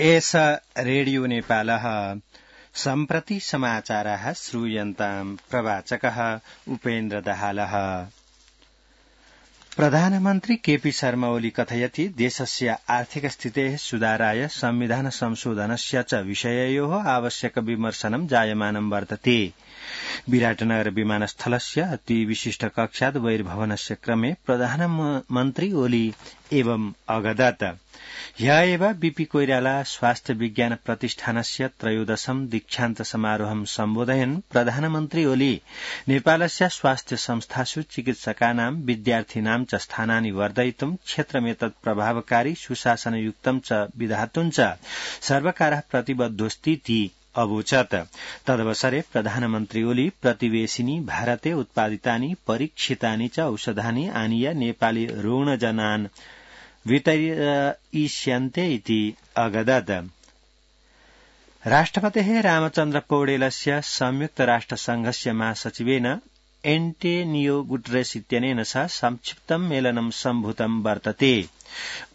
एष रेडियो नेपालः सम्प्रति समाचाराः श्रूयन्ताम् प्रवाचकः उपेन्द्र दाहालः। प्रधानमन्त्री केपी शर्मा ओली कथयति देशस्य आर्थिक स्थितेः सुधाराय संविधान संशोधनस्य च विषययोः आवश्यक विमर्शनं जायमानं वर्तते। विराटनगर विमानस्थलस्य अति विशिष्ट कक्षात् बहिर्भवनस्य क्रमे प्रधानमन्त्री ओली एवं अगदत्। ह्यः एव बीपी कोइराला स्वास्थ्य विज्ञान प्रतिष्ठानस्य त्रयोदशं दीक्षान्त समारोहं सम्बोधयन् प्रधानमन्त्री ओली नेपालस्य स्वास्थ्य संस्थासु चिकित्सकानां विद्यार्थिनां च स्थानानि वर्धयितुं क्षेत्रमेतत् प्रभावकारी सुशासनयुक्तं च विधातुं च सर्वकारः प्रतिबद्धोऽस्तीति अवोचत्। तदवसरे प्रधानमन्त्री ओली प्रतिवेशिनी भारते उत्पादितानि परीक्षितानि च औषधानि आनीय नेपाली रुग्णजनान् वितरयिष्यन्ते इति अगदत्। राष्ट्रपतेः रामचन्द्र पौडेलस्य संयुक्त राष्ट्र संघस्य महासचिवेन एन्टोनियो गुटेरेस इत्यनेन सह संक्षिप्तं मेलनं सम्भूतं वर्तते।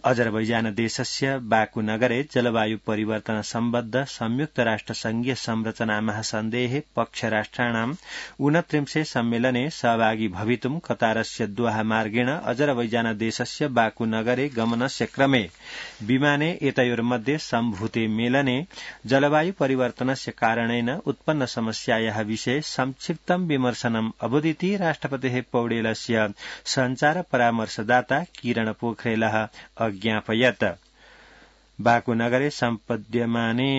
अजरबैजान देशस्य बाकू नगरे जलवायु परिवर्तन सम्बद्ध संयुक्त राष्ट्र संघीय संरचना महासन्धेः पक्षराष्ट्राणां 29 सम्मेलने सहभागी भवितुं कतारस्य दोहा मार्गेण अजरबैजान देशस्य बाकू नगरे गमनस्य क्रमे विमाने एतयोर्मध्ये सम्भूते मेलने जलवायु परिवर्तनस्य कारणेन उत्पन्न समस्यायाः विषये संक्षिप्तं विमर्शनम् अबोधिति राष्ट्रपतेः पौडेलस्य सञ्चार परामर्शदाता किरण पोखरेलः अज्ञापयत्। बाकू नगरे सम्पद्यमाने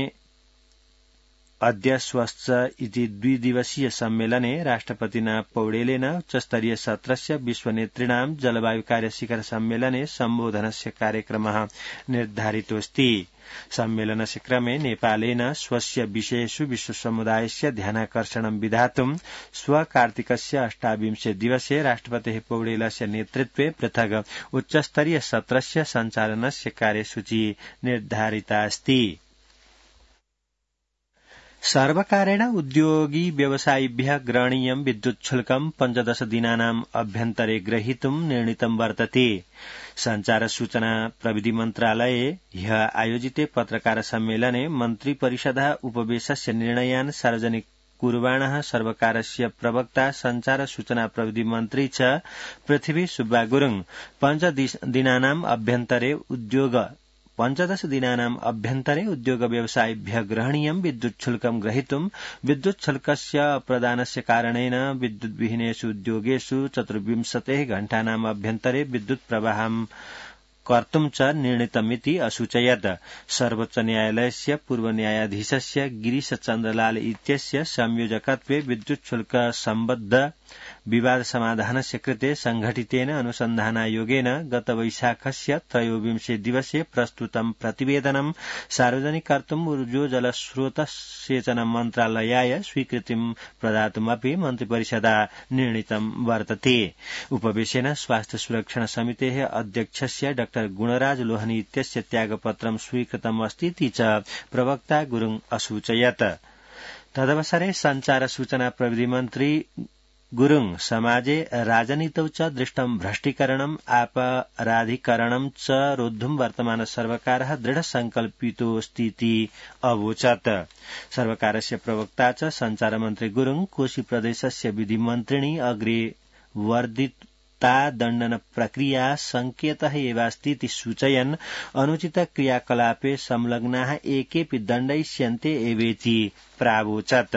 अद्य स्वच्छ इति द्विदिवसीय सम्मेलने राष्ट्रपतिना पौडेलेन उच्चस्तरीय सत्रस्य विश्वनेतृणां जलवायु कार्य शिखर सम्मेलने सम्बोधनस्य कार्यक्रमः निर्धारितोऽस्ति। सम्मेलनस्य क्रमे नेपालेन स्वस्य विषयेषु विश्वसमुदायस्य ध्यानाकर्षणं विधातुं कार्तिकस्य 28 दिवसे राष्ट्रपतेः पौडेलस्य नेतृत्वे पृथक् उच्चस्तरीय सत्रस्य सञ्चालनस्य कार्यसूची निर्धारिता अस्ति। सर्वकारेण उद्योगी व्यवसायिभ्यः ग्रहणीयं विद्युच्छुल्कं 15 दिनानाम् अभ्यन्तरे ग्रहीतुं निर्णीतं वर्तते। संचार सूचना प्रविधि मन्त्रालये ह्यः आयोजिते पत्रकार सम्मेलने मन्त्रिपरिषदः उपवेशस्य निर्णयान् सार्वजनिक कुर्वाणः सर्वकारस्य प्रवक्ता संचार सूचना प्रविधि मन्त्री च पृथ्वी सुब्बा गुरुङ 15 दिनानाम् अभ्यन्तरे उद्योग व्यवसायिभ्यः ग्रहणीयं विद्युच्छुल्कं ग्रहीतुं विद्युच्छुल्कस्य अप्रदानस्य कारणेन विद्युद्विहीनेषु उद्योगेषु 24 घण्टानाम् अभ्यन्तरे विद्युत् प्रवाहं कर्तुं च निर्णीतमिति असूचयत्। सर्वोच्च न्यायालयस्य पूर्व न्यायाधीशस्य गिरीश चन्द्रलाल इत्यस्य संयोजकत्वे विद्युच्छुल्क सम्बद्ध विवाद समाधानस्य कृते संघटितेन अनुसन्धानायोगेन गत वैशाखस्य 23 दिवसे प्रस्तुतं प्रतिवेदनं सार्वजनिक कर्तुं ऊर्जोजलस्रोत सेचन मन्त्रालयाय स्वीकृतिं प्रदातुमपि मन्त्रिपरिषदा निर्णीतं वर्तते। उपवेशेन स्वास्थ्य सुरक्षण समितेः अध्यक्षस्य डॉ गुणराज लोहनी इत्यस्य त्यागपत्रं स्वीकृतमस्तीति च प्रवक्ता गुरुङ असूचयत्। तदवसरे संचार सूचना प्रविधि मन्त्री गुरुङ समाजे राजनीतौ च दृष्टं भ्रष्टीकरणम् अपराधीकरणं च रोद्धुं वर्तमान सर्वकारः दृढ संकल्पितोऽस्तीति अवोचत्। सर्वकारस्य प्रवक्ता च संचार मन्त्री गुरुङ कोशी प्रदेशस्य विधिमन्त्रिणी अग्रे वर्धिता दण्डन प्रक्रिया संकेतः एवास्तीति सूचयन् अनुचित क्रियाकलापे संलग्नाः एकेऽपि दण्डयिष्यन्ते एवेति प्रावोचत्।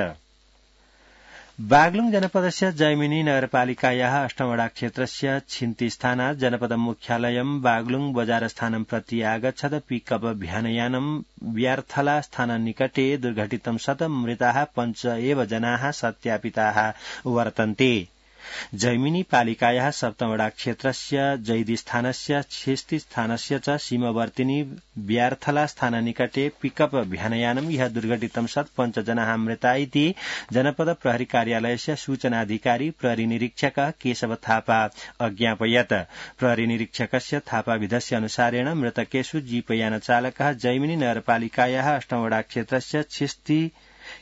बागलुङ जनपदस्य जैमिनी नगरपालिकायाः अष्टमवडा क्षेत्रस्य छिन्ती स्थानात् जनपद मुख्यालयं बागलुङ बजारस्थानं प्रति आगच्छद पिकअप भ्यानयानं व्यार्थला स्थाननिकटे दुर्घटितं सत् मृताः 5 एव जनाः सत्यापिताः वर्तन्ते। जैमिनी पालिकायाः सप्तमवडा क्षेत्रस्य जैदी स्थानस्य छिस्ती स्थानस्य च सीमावर्तिनी व्यार्थला स्थाननिकटे पिकअप भ्यानयानं ह्यः दुर्घटितं सत् 5 जनाः मृता इति जनपद प्रहरी कार्यालयस्य सूचनाधिकारी प्रहरी निरीक्षक केशव थापा अज्ञापयत्। प्रहरी निरीक्षकस्य थापाविधस्य अनुसारेण मृतकेषु जीपयान चालकः जैमिनी नगरपालिकायाः अष्टमवडा क्षेत्रस्य छिस्ती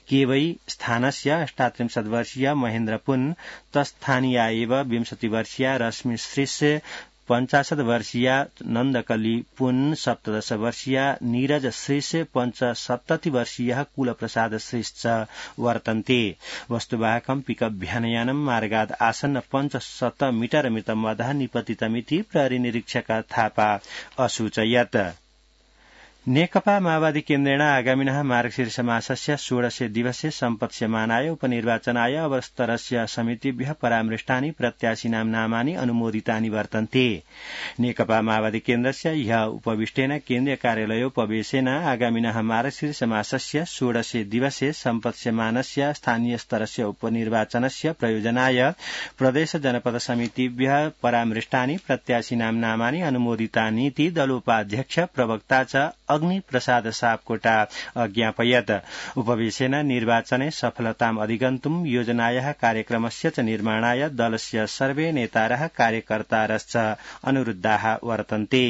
केवै स्थानस्य 38 वर्षीय महेन्द्र पुन तस्थानीया एव 20 वर्षीया रश्मि श्रीस्य 50 वर्षीया नन्दकली पुन 17 वर्षीया नीरज श्रेष्ठ 75 वर्षीयः कुलप्रसाद श्रेष्ठ वर्तन्ते वस्तुवाहकं पिकअप भ्यानयानं मार्गाद आसन्न 500 मीटर मितमवधः निपतितमिति प्रहरी निरीक्षक थापा असूचयत्। नेकपा माओवादी केन्द्रेण आगामिनः मार्गशीर्ष मासस्य 16 दिवसे सम्पत्स्यमानाय उपनिर्वाचनाय अवस्तरस्य समितिभ्यः परामृष्टानि प्रत्याशिनां नामानि अनुमोदितानि वर्तन्ते। नेकपा माओवादी केन्द्रस्य ह्यः उपविष्टेन केन्द्रीय कार्यालयोपवेशेन आगामिनः मार्गशीर्ष मासस्य 16 दिवसे सम्पत्स्यमानस्य स्थानीय स्तरस्य उपनिर्वाचनस्य प्रयोजनाय प्रदेश जनपद समितिभ्यः परामृष्टानि प्रत्याशिनां नामानि अनुमोदितानीति दलोपाध्यक्ष प्रवक्ता च अग्नि प्रसाद सापकोटा अज्ञापयत्। उपवेशेन निर्वाचने सफलताम् अधिगन्तुम् योजनायाः कार्यक्रमस्य च निर्माणाय दलस्य सर्वे नेतारः कार्यकर्तारश्च अनुरुद्धाः वर्तन्ते।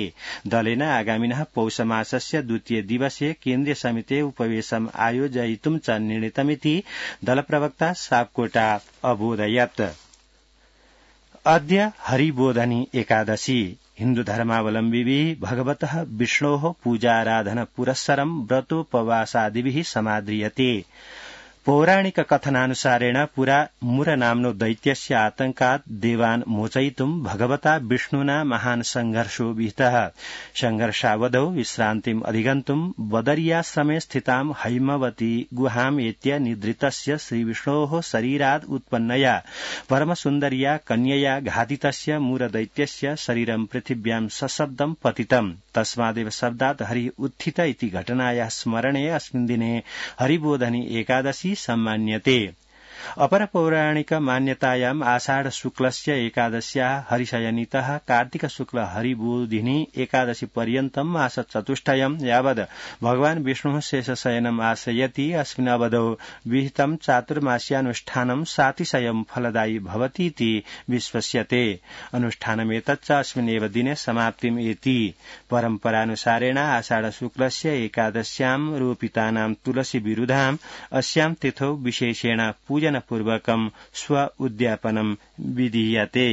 दलेन आगामिनः पौषमासस्य 2 दिवसे केन्द्रीय समिते उपवेशम् आयोजयितुं च निर्णीतमिति दलप्रवक्ता सापकोटा अबोधयत्। अद्य हरिबोधनी एकादशी हिन्दू धर्मावलम्बिभिः भगवतः विष्णोः पूजाराधन पुरस्सरं व्रतोपवासादिभिः समाद्रियते। पौराणिक कथनानुसारेण पुरा मुर नाम्नो दैत्यस्य आतंकात् देवान् मोचयितुं भगवता विष्णुना महान् संघर्षो विहितः। संघर्षावधौ विश्रान्तिम् अधिगन्तुं बदर्याश्रमे स्थितां हैमवती गुहाम् एत्य निद्रितस्य श्रीविष्णोः शरीरात् उत्पन्नया परमसुन्दर्या कन्यया घातितस्य मुरदैत्यस्य शरीरं पृथिव्यां सशब्दं पतितम्। तस्मादेव शब्दात् हरिः उत्थित इति घटनायाः स्मरणे अस्मिन् दिने हरिबोधनी एकादशी सम्मान्यते। अपर पौराणिक मान्यतायाम् आषाढ शुक्लस्य एकादश्याः हरिशयनितः कार्तिक शुक्ल हरिबोधिनी एकादशी पर्यन्तं मासचतुष्टयं यावद् भगवान् विष्णुः शेषशयनम् आश्रयति। अस्मिन् अवधौ विहितं चातुर्मास्यानुष्ठानं सातिशयं फलदायी भवतीति विश्वस्यते। अनुष्ठानमेतच्च अस्मिन् एव दिने समाप्तिम् एति। परम्परानुसारेण आषाढ शुक्लस्य एकादश्यां रोपितानां तुलसी विरुधाम् अस्यां तिथौ विशेषेण पूजनपूर्वकं स्व उद्यापनं विधीयते।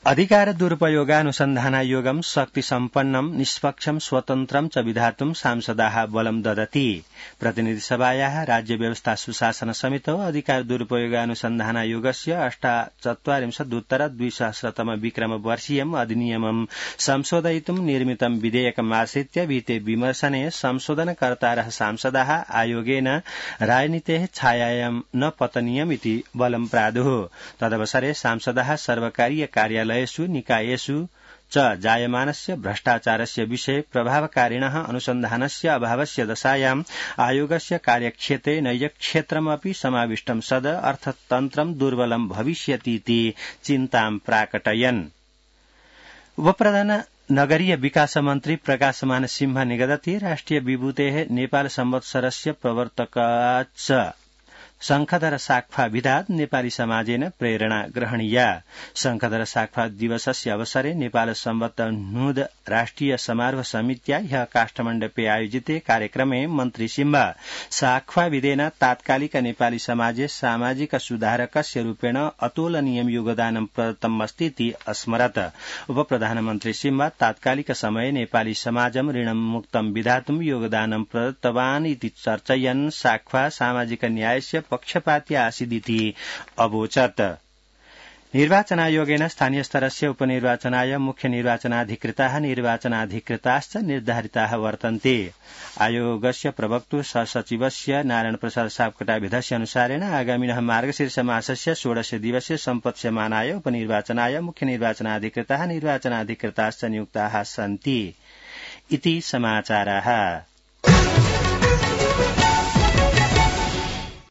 अधिकार दुरुपयोगानुसन्धानायोगं शक्तिसम्पन्नं निष्पक्षं स्वतन्त्रं च विधातुं सांसदाः बलं ददति। प्रतिनिधिसभायाः राज्य व्यवस्था सुशासन समितौ अधिकार दुरुपयोगानुसन्धानायोगस्य 48-2000 विक्रम वर्षीयम् अधिनियमं संशोधयितुं निर्मितं विधेयकमाश्रित्य विहिते विमर्शने संशोधनकर्तारः सांसदाः आयोगेन राजनीतेः छायायां न पतनीयमिति बलं प्रादुः। तदवसरे सांसदाः सर्वकारीय कार्यालयेषु निकायेषु च जायमानस्य भ्रष्टाचारस्य विषये प्रभावकारिणः अनुसन्धानस्य अभावस्य दशायाम् आयोगस्य कार्यक्षेत्रे नैजक्षेत्रमपि समाविष्टं सद अर्थतन्त्रं दुर्बलं भविष्यतीति चिन्तां प्राकटयन्। उपप्रधान नगरीय विकास मन्त्री प्रकाशमान सिंह निगदति राष्ट्रिय विभूतेः नेपाल संवत्सरस्य प्रवर्तकाच्च शंखधर साक्फा विधात् नेपाली समाजेन प्रेरणा ग्रहणीया। शंखधर साक्फा दिवसस्य अवसरे नेपाल संवत् नुद राष्ट्रिय समारोह समित्या ह्यः काष्ठमण्डपे आयोजिते कार्यक्रमे मन्त्री सिंह साक्फा विधेन तात्कालिक नेपाली समाजे सामाजिक सुधारकस्य रूपेण अतुलनीयं योगदानं प्रदत्तमस्तीति अस्मरत्। उपप्रधानमन्त्री सिंह तात्कालिक समये नेपाली समाजं ऋणमुक्तं विधातुं योगदानं प्रदत्तवान् इति चर्चयन् साक्फा सामाजिक न्यायस्य पक्षपाती आसीदिति अवोचत्। निर्वाचनायोगेन स्थानीय स्तरस्य उपनिर्वाचनाय मुख्य निर्वाचनाधिकृताः निर्वाचनाधिकृताश्च निर्धारिताः वर्तन्ते। आयोगस्य प्रवक्तुः सहसचिवस्य नारायण प्रसाद सापकोटाभिधस्य अनुसारेण आगामिनः मार्गशीर्ष मासस्य 16 दिवसे सम्पत्स्यमानाय उपनिर्वाचनाय मुख्य निर्वाचनाधिकृताः निर्वाचनाधिकृताश्च नियुक्ताः सन्ति इति समाचाराः।